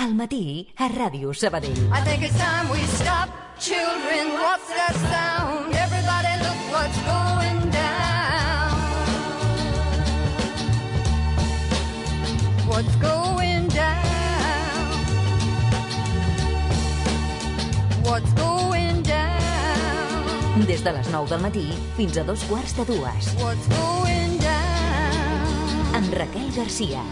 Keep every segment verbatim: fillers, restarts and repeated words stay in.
Al matí a Ràdio Sabadell. I think it's time we stop. Children, what's that sound? Everybody look what's going down. What's going down? What's going down? Des de les nou del matí fins a dos quarts de dues. What's going down? Amb Raquel Garcia.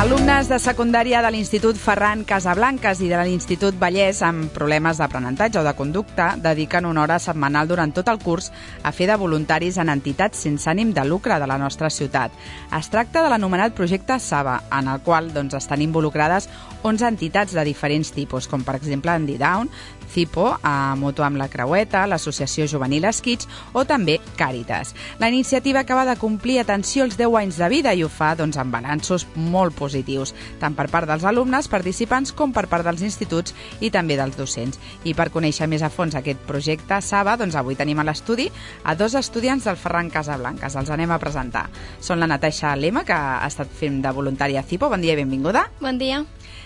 Alumnes de secundària de l'Institut Ferran Casablancas i de l'Institut Vallès amb problemes d'aprenentatge o de conducta dediquen una hora setmanal durant tot el curs a fer de voluntaris en entitats sense ànim de lucre de la nostra ciutat. Es tracta de l'anomenat projecte Saba, en el qual doncs, estan involucrades onze entitats de diferents tipus, com per exemple Andidown, Cipo, a Moto amb la Creueta, l'Associació Juvenil Esquits o també Càritas. La iniciativa acaba de complir, atenció, els deu anys de vida i ho fa doncs, amb balanços molt positius, tant per part dels alumnes participants com per part dels instituts i també dels docents. I per conèixer més a fons aquest projecte Saba, doncs avui tenim a l'estudi a dos estudiants del Ferran Casablancas. Els anem a presentar. Són la Natasha Lema, que ha estat fent de voluntària a Cipo. Bon dia i benvinguda. Bon dia.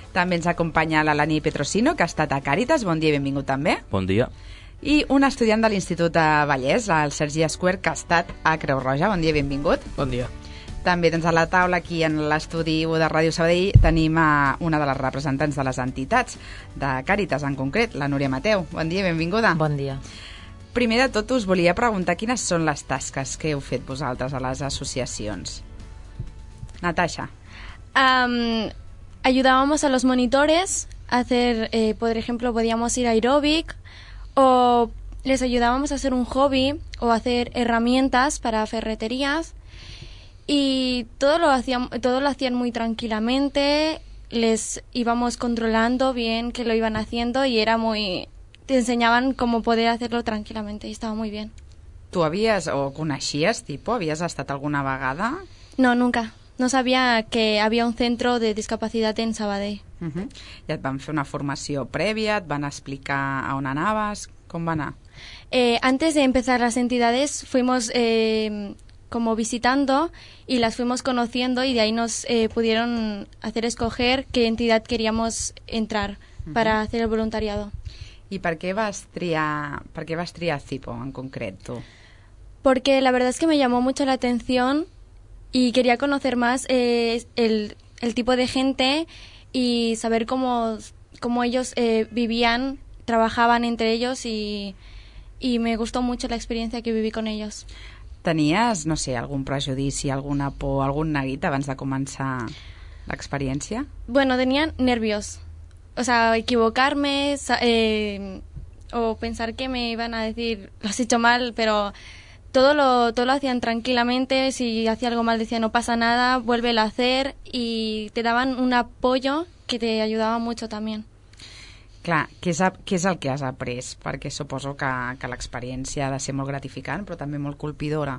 També ens acompanya la Lani Petrosino, que ha estat a Càritas. Bon dia i benvingut també. Bon dia. I un estudiant de l'Institut de Vallès, el Sergi Esquer, que ha estat a Creu Roja. Bon dia i benvingut. Bon dia. També doncs, a la taula, aquí en l'estudi de Ràdio Sabadell, tenim a una de les representants de les entitats, de Càritas en concret, la Núria Mateu. Bon dia i benvinguda. Bon dia. Primer de tot, us volia preguntar quines són les tasques que heu fet vosaltres a les associacions. Natasha. Um, ayudábamos a los monitores a hacer, eh, por ejemplo, podíamos ir a aeróbic o les ayudábamos a hacer un hobby o hacer herramientas para ferreterías y todo lo hacían, todo lo hacían muy tranquilamente, les íbamos controlando bien que lo iban haciendo y era muy... te enseñaban cómo poder hacerlo tranquilamente y estaba muy bien. Tu havies o coneixies, tipo, havies estat alguna vegada? No, nunca. No sabía que había un centro de discapacidad en Sabadell. Uh-huh. I et van fer una formació prèvia, et van explicar a on anaves, com va anar? Eh, antes de empezar las entidades fuimos eh, como visitando y las fuimos conociendo y de ahí nos eh, pudieron hacer escoger qué entidad queríamos entrar uh-huh. para hacer el voluntariado. I per què vas triar, per què vas triar Cipo en concret, tu? Porque la verdad es que me llamó mucho la atención y quería conocer más eh, el, el tipo de gente y saber cómo, cómo ellos eh, vivían, trabajaban entre ellos y, y me gustó mucho la experiencia que viví con ellos. Tenies, no sé, algun prejudici, alguna por, algun neguit abans de començar l'experiència? Bueno, tenía nervios. O sea, equivocarme eh, o pensar que me iban a decir, lo has hecho mal, pero... Todo lo, todo lo hacían tranquilamente, si hacía algo mal decía no pasa nada, vuélvelo a hacer y te daban un apoyo que te ayudaba mucho también. Clar, què és, què és el que has après? Perquè suposo que, que l'experiència ha de ser molt gratificant, però també molt colpidora.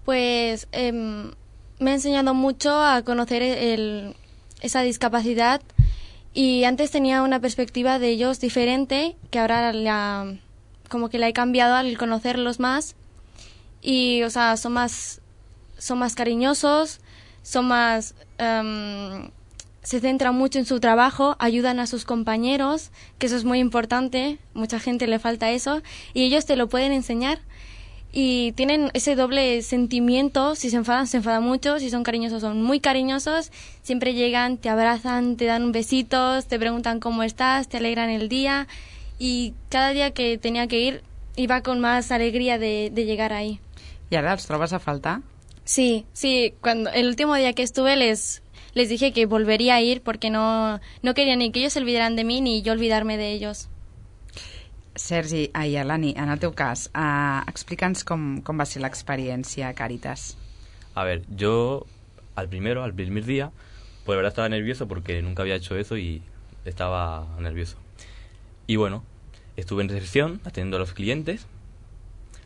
Pues eh, me ha enseñado mucho a conocer el, esa discapacidad y antes tenía una perspectiva de ellos diferente, que ahora la, como que la he cambiado al conocerlos más. Y, o sea, son más, son más cariñosos, son más, um, se centran mucho en su trabajo, ayudan a sus compañeros, que eso es muy importante, mucha gente le falta eso, y ellos te lo pueden enseñar. Y tienen ese doble sentimiento, si se enfadan, se enfadan mucho, si son cariñosos, son muy cariñosos, siempre llegan, te abrazan, te dan besitos, te preguntan cómo estás, te alegran el día, y cada día que tenía que ir, iba con más alegría de, de llegar ahí. I ara els trobes a faltar? Sí, sí, cuando el último día que estuve les, les dije que volvería a ir porque no, no quería ni que ellos se olvidaran de mí ni yo olvidarme de ellos. Sergi, ai, Alani, en el teu cas, uh, explica'ns com, com va ser l'experiència a Càritas. A ver, yo al primero, al primer día, pues la verdad estaba nervioso porque nunca había hecho eso y estaba nervioso. Y bueno, estuve en recepción atendiendo a los clientes,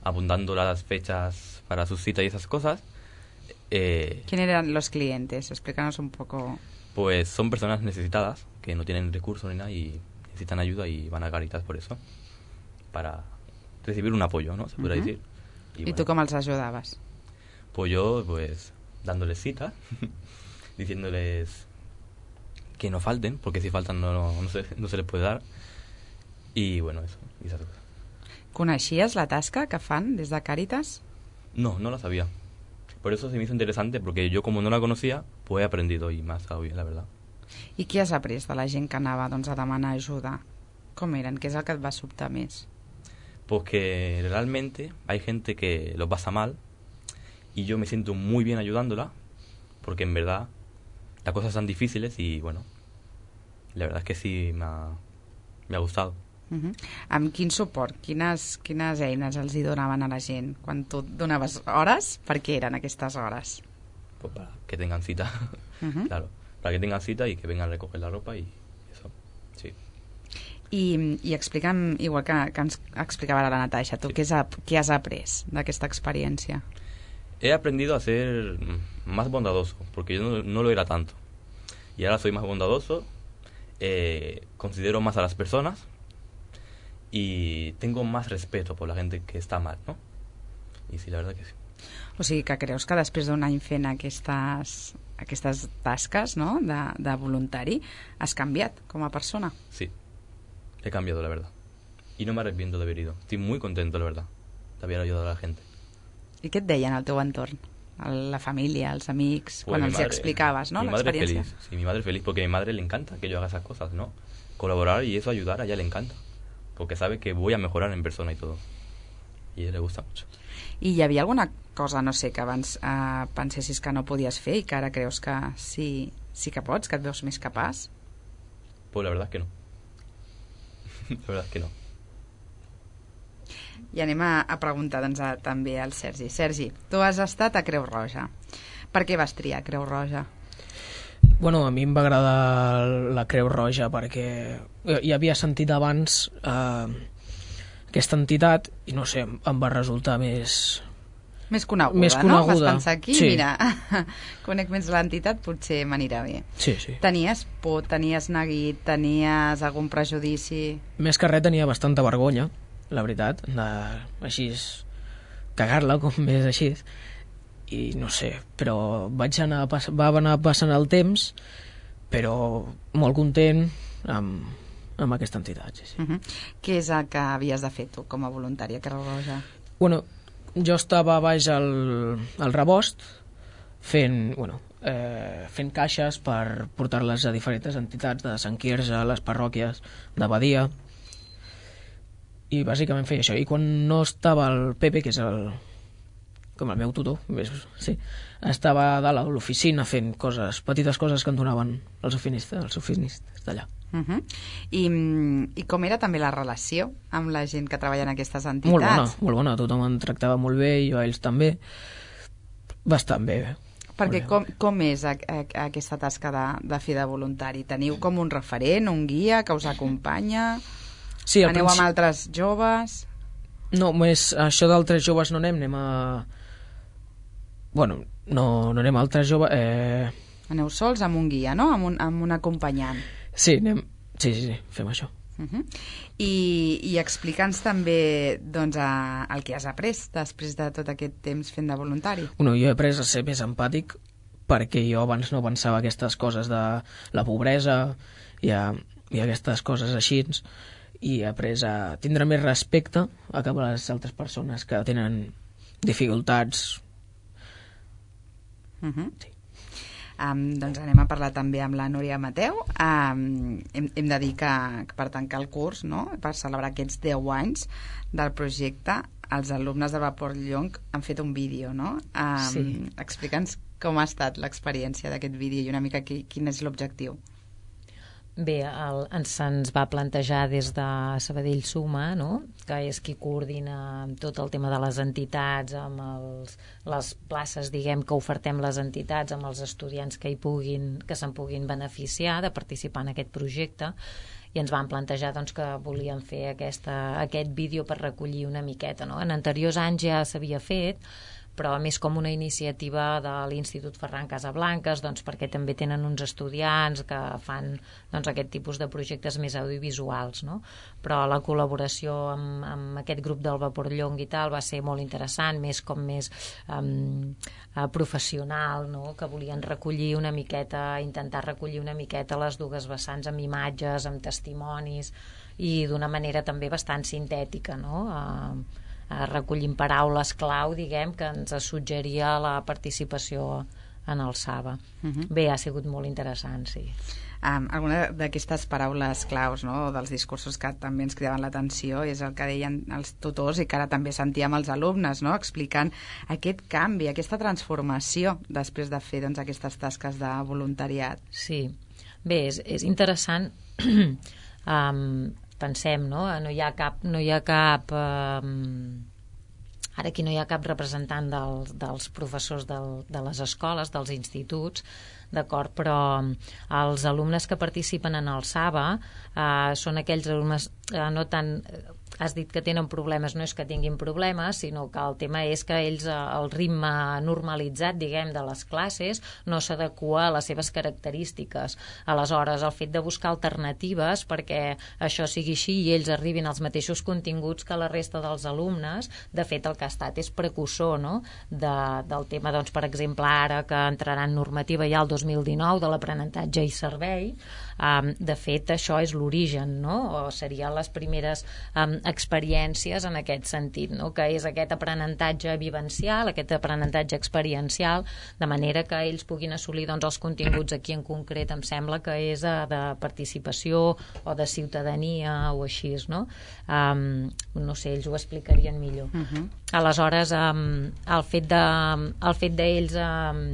apuntando las fechas para sus citas y esas cosas. Eh, ¿Quién eran los clientes? Explícanos un poco. Pues son personas necesitadas que no tienen recursos ni nada y necesitan ayuda y van a Càritas por eso, para recibir un apoyo, ¿no? Se podría uh-huh. decir. Y, ¿Y bueno, tú cómo les ayudabas? Pues yo, pues, dándoles citas, diciéndoles que no falten, porque si faltan no, no, no, se, no se les puede dar. Y bueno, eso, y esas cosas. ¿Coneixies la tasca que fan des de Càritas? No, no la sabía. Por eso se me hizo interesante, porque yo como no la conocía, pues he aprendido y más hoy, la verdad. I què has après de la gent que anava doncs, a demanar ajuda? Com eren? Què és el que et va sobtar més? Pues que realmente hay gente que lo pasa mal y yo me siento muy bien ayudándola, porque en verdad las cosas son difíciles y bueno, la verdad es que sí me ha, me ha gustado. Uh-huh. Amb quin suport, quines, quines eines els hi donaven a la gent? Quan tu donaves hores, per què eren aquestes hores? Pues para que tengan cita, uh-huh. Claro, para que tengan cita y que vengan a recoger la ropa y eso, sí. I, i explica'm, igual que, que ens explicava ara la Natasha, tu sí. què, has, què has après d'aquesta experiència? He aprendido a ser más bondadoso, porque yo no, no lo era tanto. Y ahora soy más bondadoso, eh, considero más a las personas y tengo más respeto por la gente que está mal, ¿no? Y sí, la verdad que sí. O sigui que creus que després d'un any fent aquestes, aquestes tasques, no?, de, de voluntari, has canviat com a persona? Sí, he cambiado, la verdad. Y no me arrepiento de haber ido. Estoy muy contento, la verdad, de haber ayudado a la gente. I què et deien al teu entorn? La família, els amics, pues quan els madre, explicaves, ¿no?, mi la experiencia. Madre feliz, sí, mi madre feliz, porque a mi madre le encanta que yo haga esas cosas, ¿no? Colaborar y eso, ayudar, a ella le encanta, porque sabe que voy a mejorar en persona y todo. Y a ella le gusta mucho. I hi havia alguna cosa, no sé, que abans eh, pensessis que no podies fer i que ara creus que sí, sí que pots, que et veus més capaç? Pues la verdad es que no. La verdad es que no. I anem a, a preguntar doncs, a, també al Sergi. Sergi, tu has estat a Creu Roja. Per què vas triar Creu Roja? Bueno, a mi em va agradar la Creu Roja perquè ja havia sentit abans eh, aquesta entitat i no sé, em va resultar més... Més coneguda, més coneguda, no? Vas pensar aquí, sí. Mira, conec més l'entitat, potser m'anirà bé. Sí, sí. Tenies por, tenies neguit, tenies algun prejudici? Més que res tenia bastanta vergonya, la veritat, de, així cagar-la, com més així, i no sé, però vaig anar, va anar passant el temps, però molt content amb, amb aquesta entitat. Sí, sí. Uh-huh. Què és el que havies de fer tu com a voluntària a Creu Roja? Bueno, jo estava baix al, al rebost fent, bueno, eh, fent caixes per portar-les a diferents entitats de Sant Quirze, a les parròquies de Badia, i bàsicament feia això. I quan no estava el Pepe, que és el, com el meu tutor, sí, estava a dalt a l'oficina fent coses, petites coses que em donaven els ofinistes, els ofinistes d'allà. Uh-huh. I, I com era també la relació amb la gent que treballa en aquestes entitats? Molt bona, molt bona, tothom em tractava molt bé, jo a ells també, bastant bé. Perquè com, com és a, a, a aquesta tasca de, de fer de voluntari? Teniu com un referent, un guia que us acompanya? Sí, aneu principi... amb altres joves? No, més això d'altres joves no anem, anem a... Bueno, no, no anem a altres joves... Eh... Aneu sols amb un guia, no? Amb un, amb un acompanyant. Sí, anem... sí, sí, sí, fem això. Uh-huh. I, i explica'ns també doncs, a, el que has après després de tot aquest temps fent de voluntari. Bueno, jo he après a ser més empàtic perquè jo abans no pensava aquestes coses de la pobresa i, a, i aquestes coses així, i he après a tindre més respecte a cap a les altres persones que tenen dificultats. Uh-huh. Sí. Um, doncs anem a parlar també amb la Núria Mateu. Um, hem, hem de dir que, que per tancar el curs, no?, per celebrar aquests deu anys del projecte, els alumnes de Vapor Llonc han fet un vídeo, no? Um, sí. Explica'ns com ha estat l'experiència d'aquest vídeo i una mica qui, quin és l'objectiu? Bé, el, ens se'ns va plantejar des de Sabadell Suma, no? Que és qui coordina tot el tema de les entitats, amb els, les places, diguem, que ofertem les entitats, amb els estudiants que hi puguin, que se'n puguin beneficiar de participar en aquest projecte, i ens van plantejar doncs, que volien fer aquesta, aquest vídeo per recollir una miqueta, no? En anteriors anys ja s'havia fet, però més com una iniciativa de l'Institut Ferran Casablanques, doncs, perquè també tenen uns estudiants que fan doncs, aquest tipus de projectes més audiovisuals, no? Però la col·laboració amb, amb aquest grup del Vapor Llong i tal va ser molt interessant, més com més um, professional, no? Que volien recollir una miqueta, intentar recollir una miqueta les dues vessants amb imatges, amb testimonis, i d'una manera també bastant sintètica, no? Uh, recollint paraules clau, diguem, que ens suggeria la participació en el Saba. Uh-huh. Bé, ha sigut molt interessant, sí. Um, alguna d'aquestes paraules claus, no?, dels discursos que també ens cridaven l'atenció és el que deien els tutors i que ara també sentíem els alumnes, no?, explicant aquest canvi, aquesta transformació després de fer doncs, aquestes tasques de voluntariat. Sí. Bé, és, és interessant um, pensem, no? No hi ha cap, no hi ha cap eh, ara aquí no hi ha cap representant dels, dels professors del, de les escoles, dels instituts, d'acord, però els alumnes que participen en el Saba eh, són aquells alumnes eh, no tant... Has dit que tenen problemes, no és que tinguin problemes, sinó que el tema és que ells, el ritme normalitzat, diguem, de les classes no s'adequa a les seves característiques. Aleshores, el fet de buscar alternatives perquè això sigui així i ells arribin als mateixos continguts que la resta dels alumnes, de fet el que ha estat és precursor, no?, de, del tema, doncs, per exemple, ara que entrarà en normativa ja el dos mil dinou de l'aprenentatge i servei, um, de fet això és l'origen, no?, o serien les primeres um, experiències en aquest sentit, no?, que és aquest aprenentatge vivencial, aquest aprenentatge experiencial, de manera que ells puguin assolir doncs, els continguts aquí en concret, em sembla que és de, de participació o de ciutadania o així, no? Um, no sé, ells ho explicarien millor. Uh-huh. Aleshores, um, el fet de, el fet d'ells um,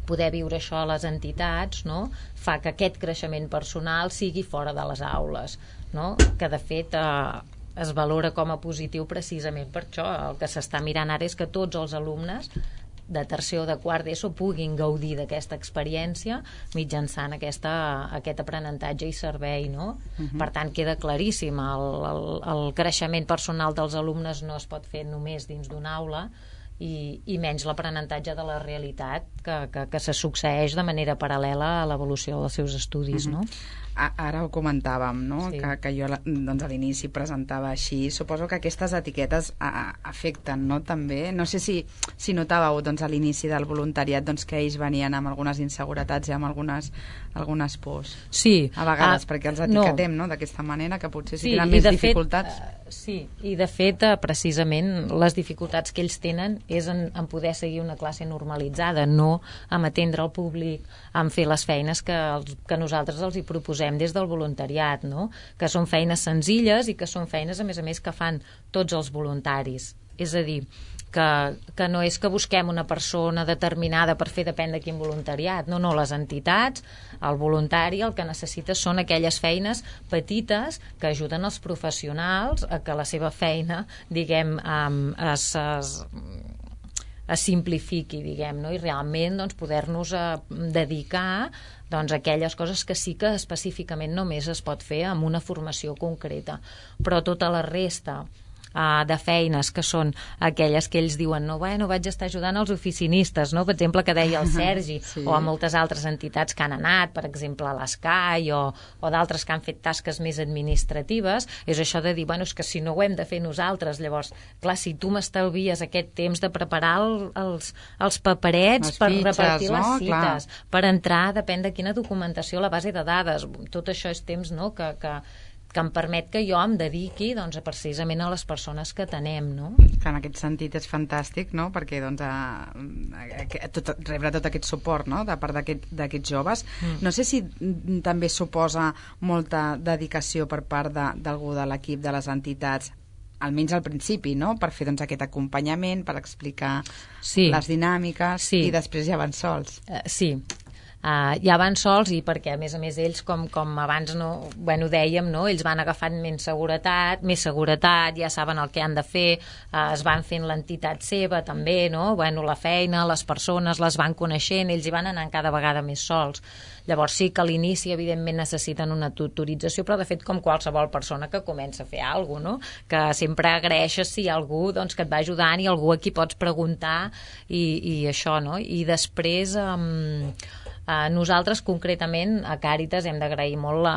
poder viure això a les entitats, no?, fa que aquest creixement personal sigui fora de les aules, no?, que de fet eh, es valora com a positiu precisament per això. El que s'està mirant ara és que tots els alumnes de tercer o de quart d'ESO puguin gaudir d'aquesta experiència mitjançant aquesta, aquest aprenentatge i servei, no? Uh-huh. Per tant, queda claríssim, el, el, el creixement personal dels alumnes no es pot fer només dins d'una aula, i, i menys l'aprenentatge de la realitat que, que, que se succeeix de manera paral·lela a l'evolució dels seus estudis, uh-huh. no? Ara ho comentàvem, no? Sí. Que, que jo doncs, a l'inici presentava així. Suposo que aquestes etiquetes a, afecten, no? També. No sé si, si notàveu doncs, a l'inici del voluntariat doncs, que ells venien amb algunes inseguretats i amb algunes, algunes pors. Sí. A vegades, ah, perquè els etiquetem, no? no? D'aquesta manera, que potser si sí, tenen més dificultats. Fet, uh, sí, i de fet, uh, precisament, les dificultats que ells tenen és en, en poder seguir una classe normalitzada, no en atendre el públic, en fer les feines que, els, que nosaltres els hi proposem des del voluntariat, no? Que són feines senzilles i que són feines, a més a més, que fan tots els voluntaris. És a dir, que, que no és que busquem una persona determinada per fer depèn de quin voluntariat. No, no, les entitats, el voluntari, el que necessita són aquelles feines petites que ajuden els professionals a que la seva feina, diguem, um, es... es es simplifiqui, diguem, no? I realment doncs, poder-nos eh, dedicar doncs, a aquelles coses que sí que específicament només es pot fer amb una formació concreta. Però tota la resta Uh, de feines que són aquelles que ells diuen no, bueno, vaig estar ajudant els oficinistes, no? Per exemple, que deia el Sergi, sí. O a moltes altres entitats que han anat, per exemple a l'Escai o, o d'altres que han fet tasques més administratives, és això de dir, bueno, és que si no ho hem de fer nosaltres, llavors, clar, si tu m'estalvies aquest temps de preparar el, els, els paperets les per fitxes, repartir no? les cites, clar. Per entrar, depèn de quina documentació, la base de dades, tot això és temps, no?, que... que que em permet que jo em dediqui doncs, precisament a les persones que tenem, no? Que en aquest sentit és fantàstic, no? Perquè doncs, a, a, tot, rebre tot aquest suport, no? De part d'aquests aquest, joves. Mm. No sé si també suposa molta dedicació per part d'algú de, de l'equip de les entitats almenys al principi, no?, per fer doncs, aquest acompanyament, per explicar sí. les dinàmiques, sí. i després ja van sols. Uh, sí, Uh, ja van sols, i perquè a més a més ells, com, com abans no, bueno, dèiem, no? Ells van agafant més seguretat, més seguretat, ja saben el que han de fer, uh, es van fent l'entitat seva també, no? Bueno, la feina, les persones les van coneixent, ells hi van anant cada vegada més sols. Llavors sí que a l'inici evidentment necessiten una tutorització, però de fet com qualsevol persona que comença a fer alguna cosa, no? Que sempre agraeixes si hi ha algú, doncs, que et va ajudant i algú a qui pots preguntar i, i això, no? I després um, Uh, nosaltres concretament a Càritas hem d'agrair molt la,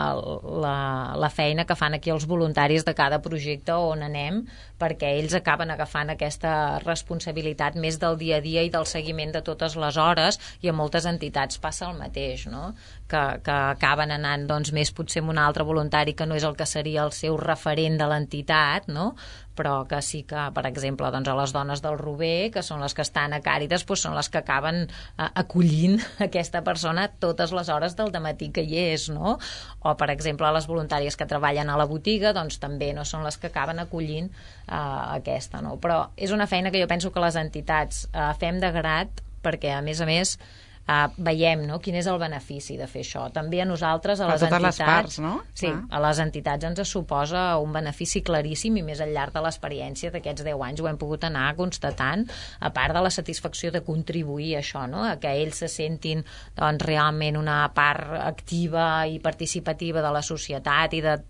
la, la feina que fan aquí els voluntaris de cada projecte on anem, perquè ells acaben agafant aquesta responsabilitat més del dia a dia i del seguiment de totes les hores, i a moltes entitats passa el mateix, no? que, que acaben anant doncs, més potser amb un altre voluntari que no és el que seria el seu referent de l'entitat, no? Però que sí que, per exemple, doncs a les dones del Rober, que són les que estan a Càritas, doncs són les que acaben eh, acollint aquesta persona totes les hores del dematí que hi és, no? O, per exemple, les voluntàries que treballen a la botiga, doncs també no són les que acaben acollint eh, aquesta, no? Però és una feina que jo penso que les entitats eh, fem de grat, perquè, a més a més, Uh, veiem, no?, quin és el benefici de fer això. També a nosaltres, a les a totes entitats, les parts, no? Sí, ah. a les entitats ens suposa un benefici claríssim, i més al llarg de l'experiència d'aquests deu anys ho hem pogut anar constatant, a part de la satisfacció de contribuir a això, no?, a que ells se sentin doncs, realment una part activa i participativa de la societat, i de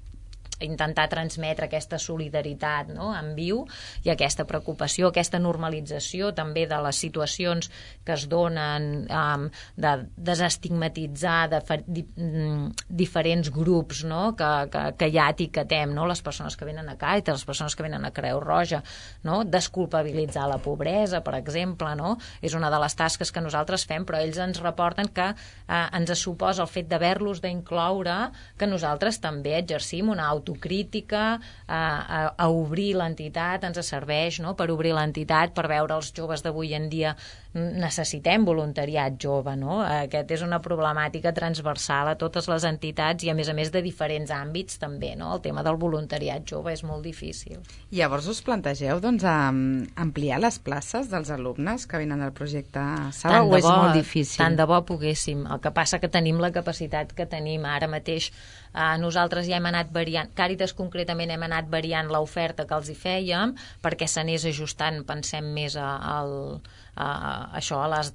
intentar transmetre aquesta solidaritat, no?, en viu, i aquesta preocupació, aquesta normalització també de les situacions que es donen, um, de desestigmatitzar de di diferents grups, no?, que, que, que ja etiquetem, no?, les persones que venen a Càritas, les persones que venen a Creu Roja, no?, desculpabilitzar la pobresa, per exemple, no?, és una de les tasques que nosaltres fem, però ells ens reporten que eh, ens suposa el fet d'haver-los d'incloure, que nosaltres també exercim una autocrítica, a, a, a obrir l'entitat, ens serveix, no?, per obrir l'entitat, per veure els joves d'avui en dia necessitem voluntariat jove, no? Aquest és una problemàtica transversal a totes les entitats, i a més a més de diferents àmbits també, no? El tema del voluntariat jove és molt difícil. Llavors us plantegeu doncs, ampliar les places dels alumnes que venen del projecte Saba, o és bo, molt difícil? Tant de bo poguéssim. El que passa que tenim la capacitat que tenim ara mateix. Uh, nosaltres ja hem anat variant, Càritas concretament hem anat variant l'oferta que els hi fèiem perquè s'anés ajustant, pensem més a, a, a, a això, a les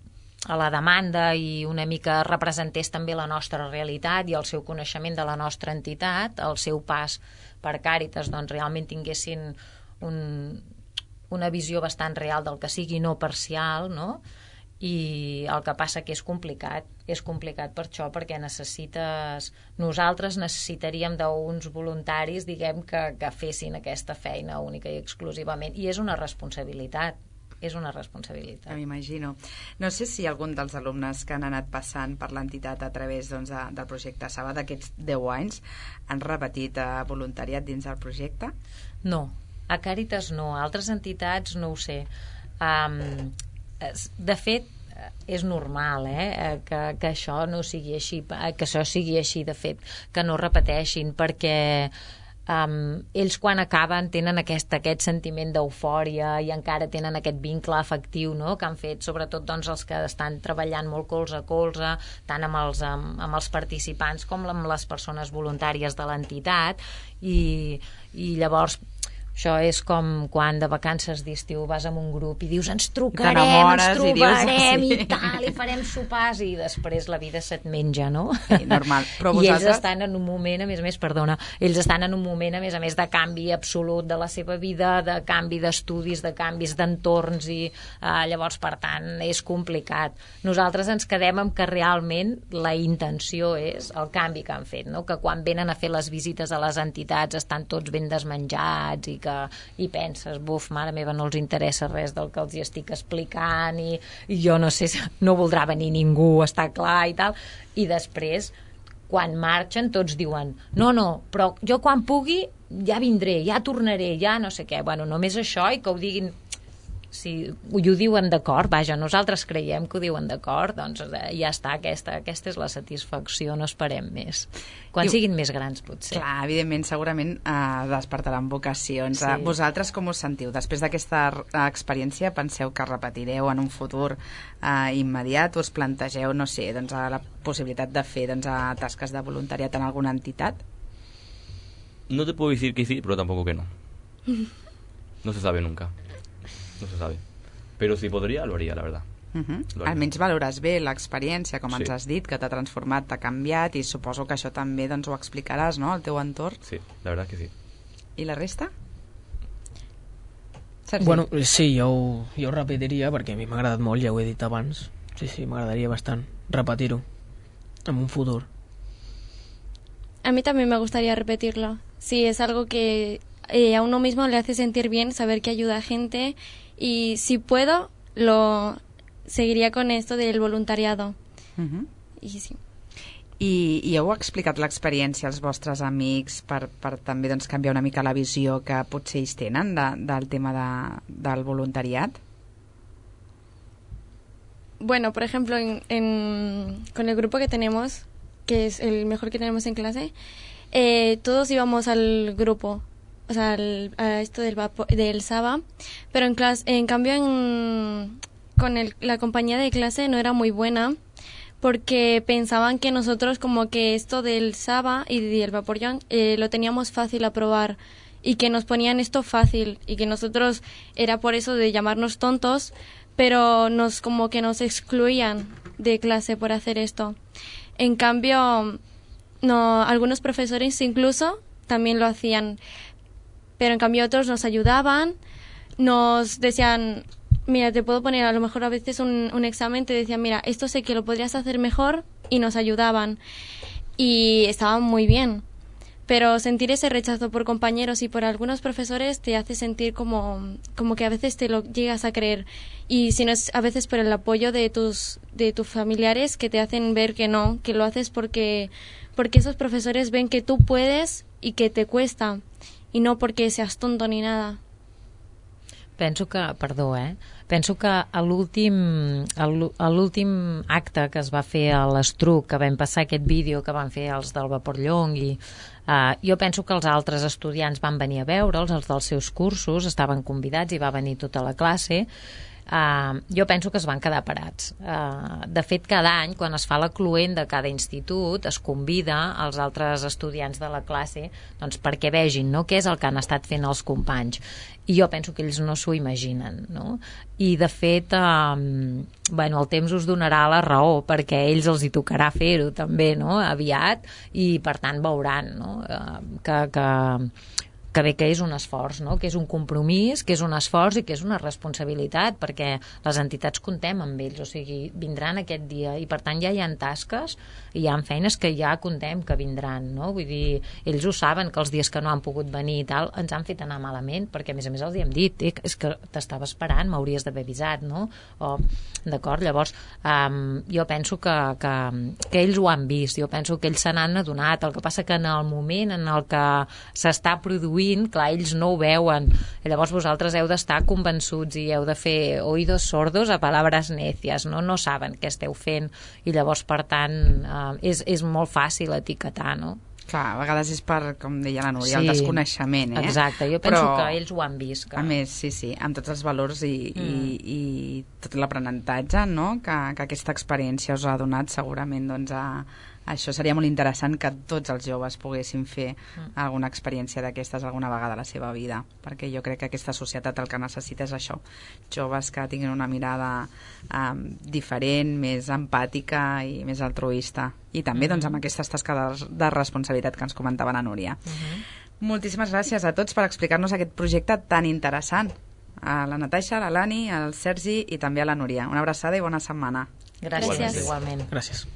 a la demanda, i una mica representés també la nostra realitat i el seu coneixement de la nostra entitat, el seu pas per Càritas, doncs realment tinguessin un, una visió bastant real del que sigui, no parcial, no? I el que passa que és complicat, és complicat per això, perquè necessites, nosaltres necessitaríem d'uns voluntaris, diguem, que, que fessin aquesta feina única i exclusivament, i és una responsabilitat, és una responsabilitat. M'imagino. No sé si algun dels alumnes que han anat passant per l'entitat a través doncs, de, del projecte Saba d'aquests deu anys han repetit eh, voluntariat dins del projecte? No, a Càritas no, a altres entitats no ho sé. Um, de fet, és normal eh, que, que això no sigui així, que això sigui així, de fet, que no repeteixin, perquè um, ells quan acaben tenen aquest, aquest sentiment d'eufòria i encara tenen aquest vincle afectiu, no?, que han fet sobretot doncs, els que estan treballant molt colze a colze, tant amb els, amb, amb els participants com amb les persones voluntàries de l'entitat, i, i llavors això és com quan de vacances d'estiu vas amb un grup i dius ens trucarem, ens trobarem i, dius, sí. i tal, i farem sopars, i després la vida se't menja, no? Sí, normal. Però I vosaltres... ells estan en un moment, a més a més, perdona, ells estan en un moment, a més a més, de canvi absolut de la seva vida, de canvi d'estudis, de canvis d'entorns, i eh, llavors, per tant, és complicat. Nosaltres ens quedem amb que realment la intenció és el canvi que han fet, no? Que quan venen a fer les visites a les entitats estan tots ben desmenjats i que i penses, buf, mare meva, no els interessa res del que els hi estic explicant, i, i jo no sé, no voldrà venir ningú, està clar i tal, i després quan marxen tots diuen no, no, però jo quan pugui ja vindré, ja tornaré, ja no sé què, bueno, només això, i que ho diguin si ho diuen d'acord, vaja, nosaltres creiem que ho diuen d'acord, doncs eh, ja està, aquesta, aquesta és la satisfacció, no esperem més. Quan I, siguin més grans, potser. Clar, evidentment, segurament eh, despertaran vocacions. Sí. Vosaltres com us sentiu? Després d'aquesta experiència, penseu que repetireu en un futur eh, immediat? Us plantegeu, no sé, doncs, la possibilitat de fer doncs, tasques de voluntariat en alguna entitat? No te puedo decir que sí, pero tampoco que no. No se sabe nunca. No se sabe. Pero si podría, lo haría, la verdad. Uh -huh. Almenys valores bé l'experiència, com sí. ens has dit, que t'ha transformat, t'ha canviat, i suposo que això també doncs, ho explicaràs, no?, al teu entorn. Sí, la verdad es que sí. I la resta? Sergi? Bueno, sí, jo ho, jo ho repetiria, perquè a mi m'ha agradat molt, ja ho he dit abans. Sí, sí, m'agradaria bastant repetir-ho en un futur. A mí también me gustaría repetirlo. Sí, es algo que eh, a uno mismo le hace sentir bien saber que ayuda a gente, y si puedo, lo seguiría con esto del voluntariado. Uh-huh. I sí. I, i heu explicat l'experiència als vostres amics per, per també doncs, canviar una mica la visió que potser ells tenen de, del tema de, del voluntariat? Bueno, por ejemplo, en, en, con el grupo que tenemos, que es el mejor que tenemos en clase, eh, todos íbamos al grupo, o sea, al, a esto del, vapo, del Saba, pero en, clase, en cambio en, con el, la compañía de clase no era muy buena, porque pensaban que nosotros como que esto del Saba y del Vaporeon eh, lo teníamos fácil a probar, y que nos ponían esto fácil, y que nosotros era por eso de llamarnos tontos, pero nos como que nos excluían de clase por hacer esto. En cambio, no, algunos profesores incluso también lo hacían, pero en cambio otros nos ayudaban, nos decían, mira, te puedo poner a lo mejor a veces un, un examen, te decían, mira, esto sé que lo podrías hacer mejor, y nos ayudaban, y estaban muy bien. Pero sentir ese rechazo por compañeros y por algunos profesores te hace sentir como, como que a veces te lo llegas a creer, y si no es a veces por el apoyo de tus, de tus familiares, que te hacen ver que no, que lo haces porque, porque esos profesores ven que tú puedes y que te cuesta, y no porque seas tonto ni nada. Penso que, perdó, eh? Penso que a l'últim a l'últim acte que es va fer a l'Estruc, que vam passar aquest vídeo que van fer els del Vaporllong, i uh, jo penso que els altres estudiants van venir a veure'ls, els dels seus cursos, estaven convidats i va venir tota la classe. Uh, jo penso que es van quedar parats. Uh, de fet, cada any, quan es fa la cluent de cada institut, es convida als altres estudiants de la classe, doncs, perquè vegin, no?, què és el que han estat fent els companys. I jo penso que ells no s'ho imaginen, no? I, de fet, uh, bueno, el temps us donarà la raó, perquè a ells els hi tocarà fer-ho també, no?, aviat, i per tant veuran, no?, uh, que... que que bé que és un esforç, no?, que és un compromís, que és un esforç i que és una responsabilitat, perquè les entitats contem amb ells, o sigui, vindran aquest dia, i per tant ja hi ha tasques i hi ha feines que ja contem que vindran, no? Vull dir, ells ho saben, que els dies que no han pogut venir i tal ens han fet anar malament, perquè a més a més els hi hem dit, eh, és que t'estava esperant, m'hauries d'haver avisat, no? O, d'acord, llavors um, jo penso que, que, que ells ho han vist, jo penso que ells se n'han adonat, el que passa que en el moment en el que s'està produint, clar, ells no ho veuen, i llavors vosaltres heu d'estar convençuts i heu de fer oïdos sordos a palabras necias, no? No saben què esteu fent, i llavors, per tant, eh, és, és molt fàcil etiquetar, no? Clar, a vegades és per, com deia la Núria, sí, el desconeixement, eh? Exacte, jo penso Però, que ells ho han vist. Que... A més, sí, sí, amb tots els valors i, mm. i, i tot l'aprenentatge, no?, que, que aquesta experiència us ha donat, segurament, doncs, a, això seria molt interessant que tots els joves poguessin fer mm. alguna experiència d'aquestes alguna vegada a la seva vida, perquè jo crec que aquesta societat el que necessita és això, joves que tinguin una mirada um, diferent, més empàtica i més altruista, i també mm-hmm. doncs, amb aquestes tasques de, de responsabilitat que ens comentava la Núria. Mm-hmm. Moltíssimes gràcies a tots per explicar-nos aquest projecte tan interessant. A la Natasha, a la Lani, al Sergi i també a la Núria. Una abraçada i bona setmana. Gràcies, Gràcies. igualment. Gràcies.